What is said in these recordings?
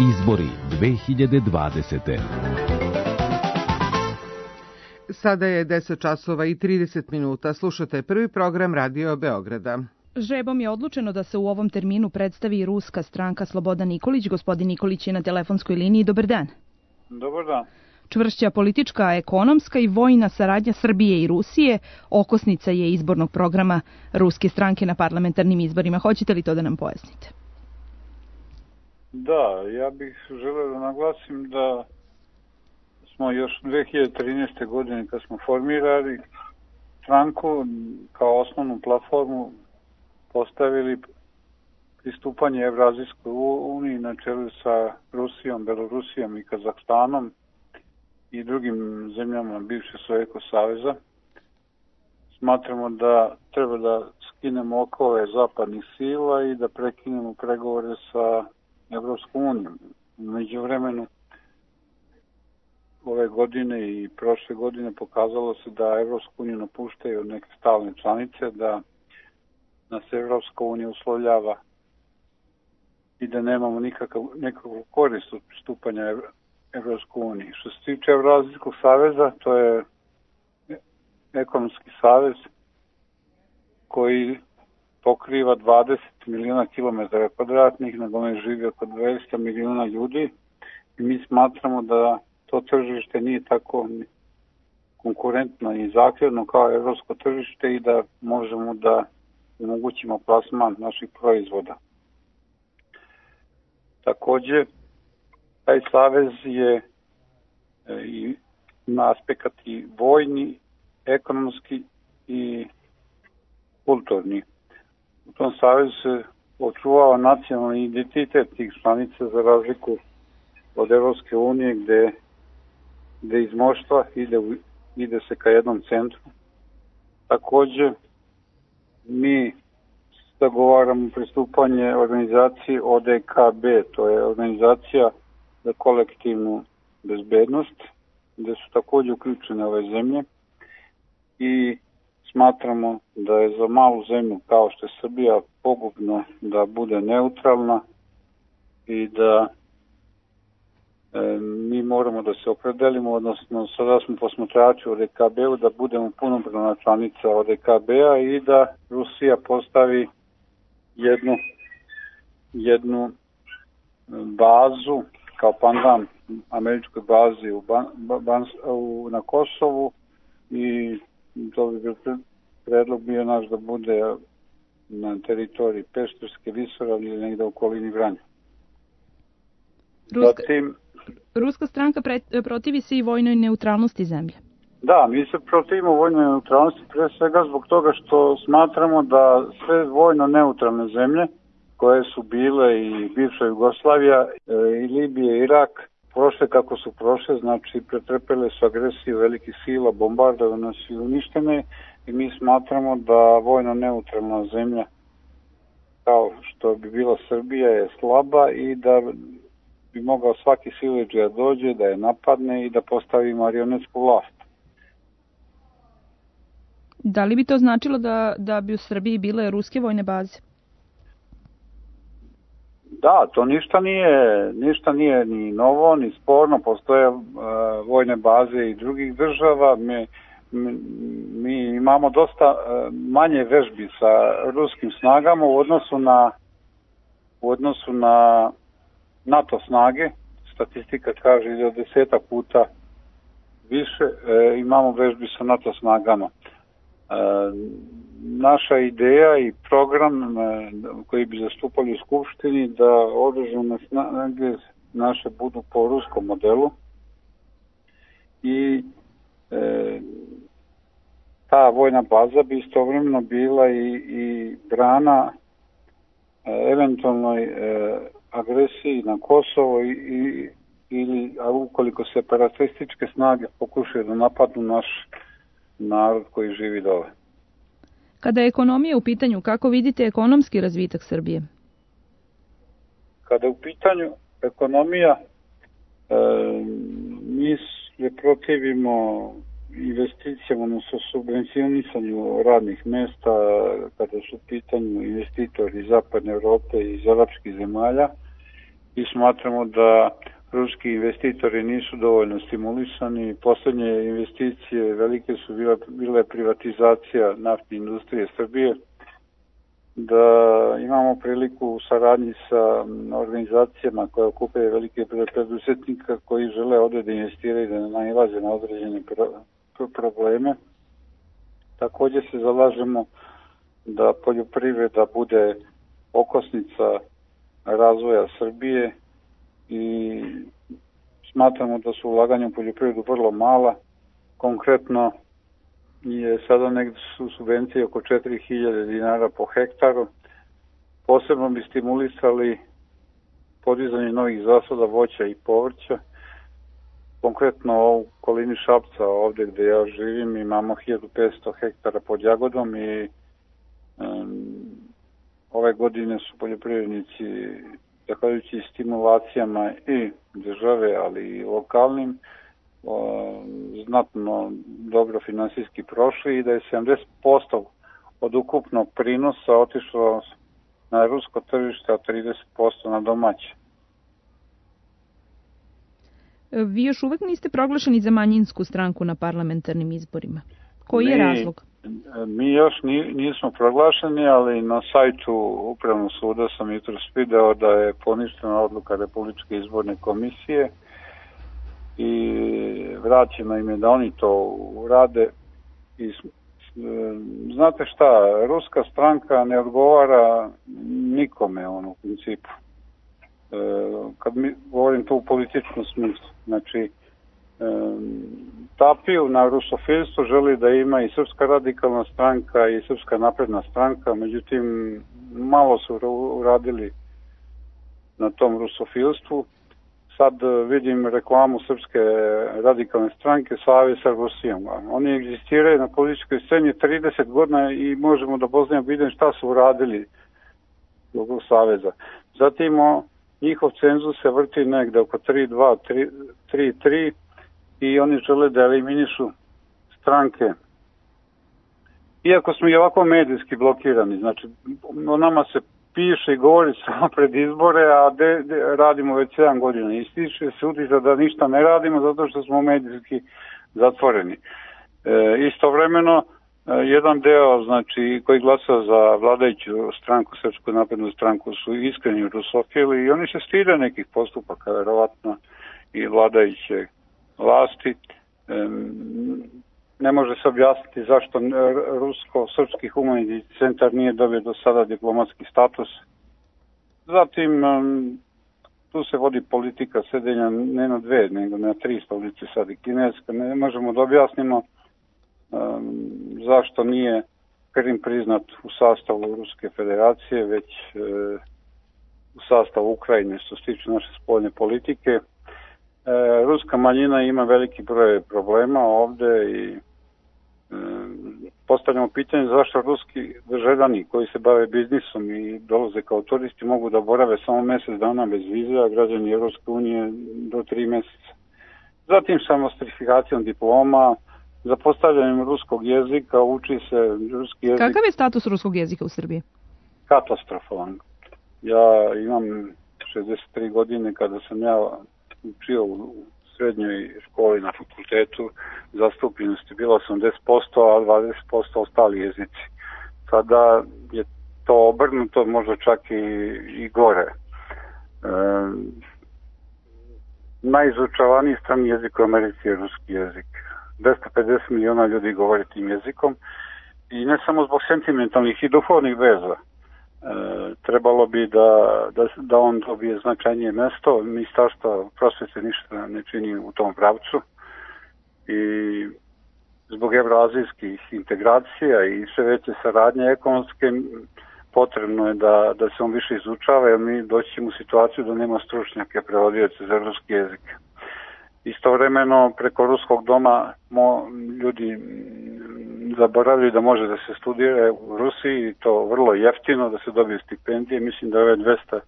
Izbori 2020. Sada je 10 časova i 30 minuta. Slušate prvi program Radio Beograda. Žrebom je odlučeno da se u ovom terminu predstavi ruska stranka Slobodan Nikolić. Gospodin Nikolić je na telefonskoj liniji. Dobar dan. Dobar dan. Čvršća politička, ekonomska i vojna saradnja Srbije i Rusije okosnica je izbornog programa ruske stranke na parlamentarnim izborima. Hoćete li to da nam pojasnite? Da, ja bih želeo da naglasim da smo još 2013. godine kad smo formirali stranku kao osnovnu platformu postavili pristupanje Evrazijskoj uniji na čelu sa Rusijom, Belorusijom i Kazahstanom i drugim zemljama bivše Sovjetskog saveza. Smatramo da treba da skinemo okove zapadnih sila i da prekinemo pregovore sa Evropskom unijom. U međuvremenu ove godine i prošle godine pokazalo se da Evropsku uniju napuštaju neke stalne članice, da nas Evropska unija uslovljava i da nemamo nekakvu korist od pristupanja Evropskoj uniji. Što se tiče Evrazijskog saveza, to je ekonomski savez koji pokriva 20 miliona kilometara kvadratnih, na kome živi oko 200 miliona ljudi i mi smatramo da to tržište nije tako konkurentno i zahtjevno kao evropsko tržište i da možemo da omogućimo plasman naših proizvoda. Takođe, taj savez je ima aspekt i vojni, ekonomski i kulturni. U tom savezu se očuvava nacionalni identitet tih članica za razliku od Evropske unije gde iz moštva ide se ka jednom centru. Takođe, mi zagovaramo pristupanje organizaciji ODKB, to je organizacija za kolektivnu bezbednost, gde su takođe uključene ove zemlje i smatramo da je za malu zemlju kao što je Srbija pogubno da bude neutralna i da mi moramo da se opredelimo, odnosno sada smo posmatrači u ODKB-u da budemo punopravna članica ODKB-a i da Rusija postavi jednu bazu kao pandan američkoj bazi na Kosovu i to bi bio predlog bio naš da bude na teritoriji Pešterske visoravni ili negde u okolini Vranja. Ruska stranka protivi se i vojnoj neutralnosti zemlje. Da, mi se protivimo vojnoj neutralnosti pre svega zbog toga što smatramo da sve vojno neutralne zemlje koje su bile i bivša Jugoslavija i Libija i Irak prošle kako su prošle, znači pretrpele su agresiju velikih sila, bombardovane su i uništene i mi smatramo da vojno neutralna zemlja kao što bi bila Srbija je slaba i da bi mogao svaki siledžija dođe, da je napadne i da postavi marionetsku vlast. Da li bi to značilo da bi u Srbiji bile ruske vojne baze? Da, to ništa nije ni novo, ni sporno. Postoje vojne baze i drugih država. Mi imamo dosta manje vežbi sa ruskim snagama u odnosu na NATO snage. Statistika kaže da 10 puta više imamo vežbi sa NATO snagama. Naša ideja i program koji bi zastupali u Skupštini da oružane snage naše budu po ruskom modelu i ta vojna baza bi istovremeno bila i brana eventualnoj agresiji na Kosovo ili ukoliko separatističke snage pokušaju da napadnu naš narod koji živi dole. Kada je ekonomija u pitanju, kako vidite ekonomski razvitak Srbije? Kada je u pitanju ekonomija, mi se protivimo investicijama, odnosno subvencionisanju radnih mesta, kada su u pitanju investitori iz Zapadne Evrope i iz arapskih zemalja i smatramo da ruski investitori nisu dovoljno stimulisani. Poslednje investicije velike su bile privatizacija naftne industrije Srbije, da imamo priliku u saradnji sa organizacijama koje okupaju velike preduzetnika koji žele ovde da investiraju i da ne nailaze na određene probleme. Takođe se zalažemo da poljoprivreda bude okosnica razvoja Srbije i smatramo da su ulaganja u poljoprivredu vrlo mala. Konkretno je sada negde su subvencije oko 4000 dinara po hektaru. Posebno bi stimulisali podizanje novih zasada voća i povrća. Konkretno u okolini Šapca, ovde gde ja živim, imamo 1500 hektara pod jagodom i ove godine su poljoprivrednici, zahvaljujući stimulacijama i države, ali i lokalnim, znatno dobro finansijski prošli i da je 70% od ukupnog prinosa otišlo na rusko tržište, a 30% na domaće. Vi još uvek niste proglašeni za manjinsku stranku na parlamentarnim izborima. Koji je razlog? Mi još nismo proglašeni, ali na sajtu Upravnog suda sam jutros video da je poništena odluka Republičke izborne komisije i vraćeno im je da oni to urade. I znate šta, ruska stranka ne odgovara nikome u principu. Kad mi govorim to u političkom smislu, znači tapiju na rusofilstvo, želi da ima i Srpska radikalna stranka i Srpska napredna stranka, međutim malo su uradili na tom rusofilstvu. Sad vidim reklamu Srpske radikalne stranke Savez sa Rusijom. Oni egzistiraju na političkoj sceni 30 godina i možemo da poznamo vidim šta su uradili zbog Saveza. Zatim njihov cenzus se vrti negde oko 3,2, 3,3 i oni žele da eliminišu stranke. Iako smo i ovako medijski blokirani, znači o nama se piše i govori samo pred izbore, a radimo već 7 godina. I stiče se utisak da ništa ne radimo zato što smo medijski zatvoreni. Istovremeno, jedan deo, znači, koji glasa za vladajuću stranku, Srpsku naprednu stranku, su iskreni rusofili i oni se stide nekih postupaka, verovatno, i vladajuće vlasti. Ne može se objasniti zašto Rusko-Srpski humanitarni centar nije dobio do sada diplomatski status. Zatim, tu se vodi politika sedenja ne na 2, nego na 3 stolice sad i kineska. Ne možemo da objasnimo zašto nije Krim priznat u sastavu Ruske federacije, već u sastavu Ukrajine, što se tiče naše spoljne politike. Ruska manjina ima veliki broj problema ovde i postavljamo pitanje zašto ruski državljani koji se bave biznisom i dolaze kao turisti mogu da borave samo mesec dana bez vize, a građani Evropske unije do 3 meseca. Zatim sa nostrifikacijom diploma, za postavljanjem ruskog jezika, uči se ruski jezik. Kakav je status ruskog jezika u Srbiji? Katastrofalan. Ja imam 63 godine, kada sam ja učio u srednjoj školi na fakultetu, zastupljenost je bila 80%, a 20% ostali jezici. Sada je to obrnuto, možda čak i gore. Najizučavaniji strani jezik u Americi je ruski jezik. 250 miliona ljudi govori tim jezikom i ne samo zbog sentimentalnih i duhovnih veza. Trebalo bi da on dobije značajnije mesto. Ministarstvo prosvete ništa ne čini u tom pravcu i zbog evroazijskih integracija i sve veće saradnje ekonomske potrebno je da se on više izučava, jer mi doći ćemo u situaciju da nema stručnjake prevodioce za ruski jezik. Istovremeno preko Ruskog doma ljudi zaboravljaju da može da se studira u Rusiji i to vrlo jeftino, da se dobiju stipendije. Mislim da ove 250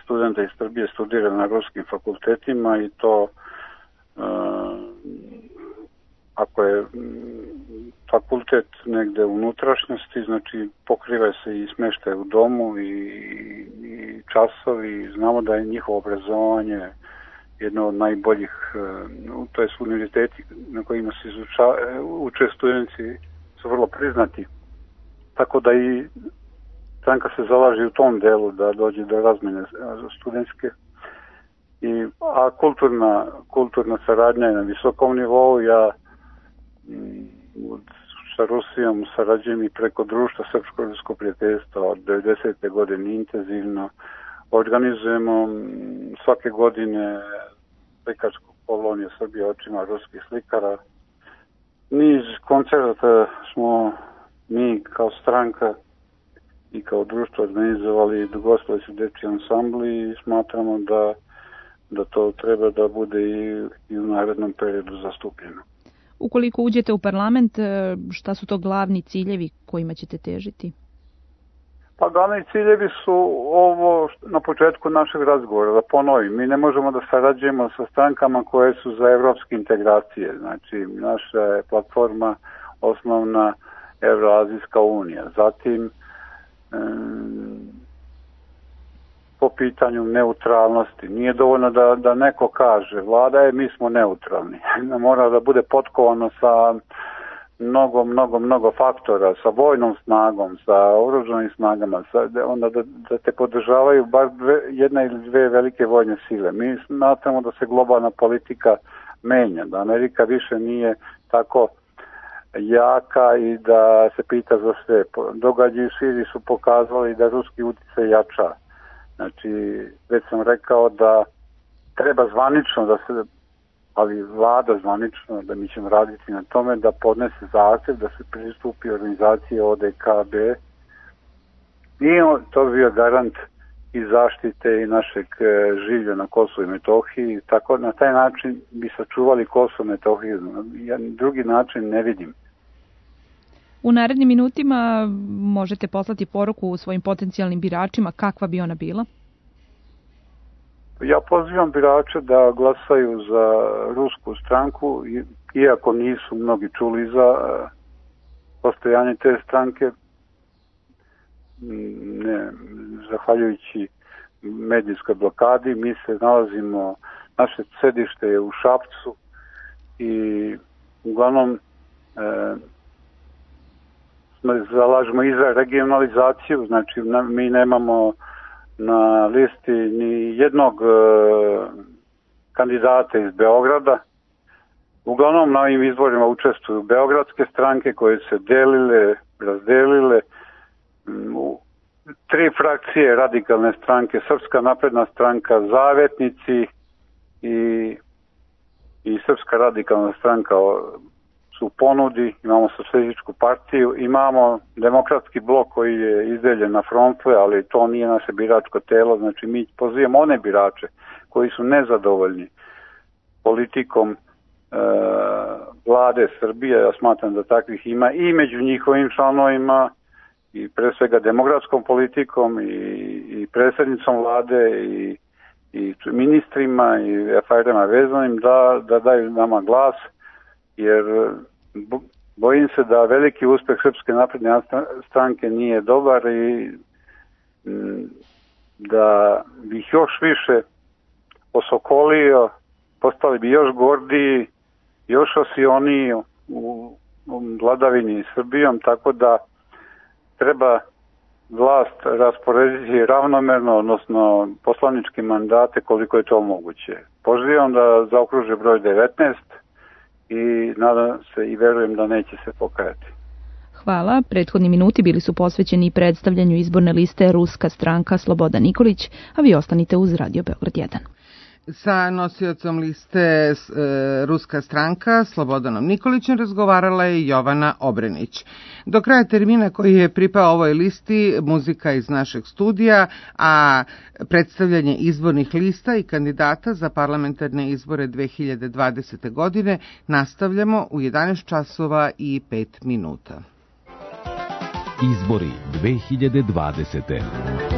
studenta iz Srbije studira na ruskim fakultetima i to ako je fakultet negde u unutrašnjosti, znači pokriva se i smeštaj u domu i časovi. Znamo da je njihovo obrazovanje jedno od najboljih, to je univerziteti na kojima se uče studenti su vrlo priznati. Tako da i stranka se zalaže u tom delu da dođe do razmene studentske. A kulturna saradnja je na visokom nivou. Ja sa Rusijom sarađujem i preko društva Srpsko-rusko prijateljstvo od 90. godine intenzivno. Organizujemo svake godine slikarsku koloniju Srbije očima ruskih slikara. Niz koncerta smo mi kao stranka i kao društvo organizovali, dogostili su dečji ansambli i smatramo da to treba da bude i u narednom periodu zastupljeno. Ukoliko uđete u parlament, šta su to glavni ciljevi kojima ćete težiti? Pa glavni ciljevi su ovo na početku našeg razgovora, da ponovim. Mi ne možemo da sarađujemo sa strankama koje su za evropske integracije. Znači, naša je platforma osnovna Evroazijska unija. Zatim, po pitanju neutralnosti. Nije dovoljno da neko kaže, vlada je, mi smo neutralni. Mora da bude potkovano sa mnogo faktora, sa vojnom snagom, sa oružanim snagama, onda da te podržavaju bar jedna ili dve velike vojne sile. Mi smatramo da se globalna politika menja, da Amerika više nije tako jaka i da se pita za sve. Događaji u Siriji su pokazali da ruski utjecaj jača. Znači, već sam rekao da treba zvanično da se, ali vlada zvanično, da mi ćemo raditi na tome, da podnese zahtjev da se pristupi organizaciji ODKB i to bi bio garant i zaštite i našeg življa na Kosovu i Metohiji. Tako, na taj način bi sačuvali Kosovo i Metohiju. Drugi način ne vidim. U narednim minutima možete poslati poruku svojim potencijalnim biračima, kakva bi ona bila? Ja pozivam birače da glasaju za rusku stranku, iako nisu mnogi čuli za postojanje te stranke, ne, zahvaljujući medijskoj blokadi. Mi se nalazimo, naše sedište je u Šapcu i uglavnom zalažemo i za regionalizaciju, znači mi nemamo na listi ni jednog kandidata iz Beograda. Uglavnom na ovim izborima učestvuju beogradske stranke koje se delile, razdelile. Tri frakcije radikalne stranke, Srpska napredna stranka, Zavetnici i Srpska radikalna stranka su u ponudi. Imamo socijalističku partiju, imamo demokratski blok koji je izdeljen na frontle, ali to nije naše biračko telo. Znači mi pozivamo one birače koji su nezadovoljni politikom vlade Srbije. Ja smatram da takvih ima i među njihovim članovima i pre svega demokratskom politikom i predsjednicom vlade i ministrima i aferama vezanim da daju nama glas, jer bojim se da veliki uspeh Srpske napredne stranke nije dobar i da bi ih još više osokolio, postali bi još gordiji, još osioniji u vladavini Srbijom, tako da treba vlast rasporediti ravnomerno, odnosno poslaničke mandate koliko je to moguće. Pozivam da zaokruže broj 19 i nadam se i verujem da neće se pokajati. Hvala. Prethodni minuti bili su posvećeni predstavljanju izborne liste Ruska stranka Slobodan Nikolić, a vi ostanite uz Radio Beograd 1. Sa nosiocom liste Ruska stranka Slobodanom Nikolićem razgovarala je Jovana Obrenić. Do kraja termina koji je pripao ovoj listi muzika iz našeg studija, a predstavljanje izbornih lista i kandidata za parlamentarne izbore 2020. godine nastavljamo u 11 časova i 5 minuta. Izbori 2020.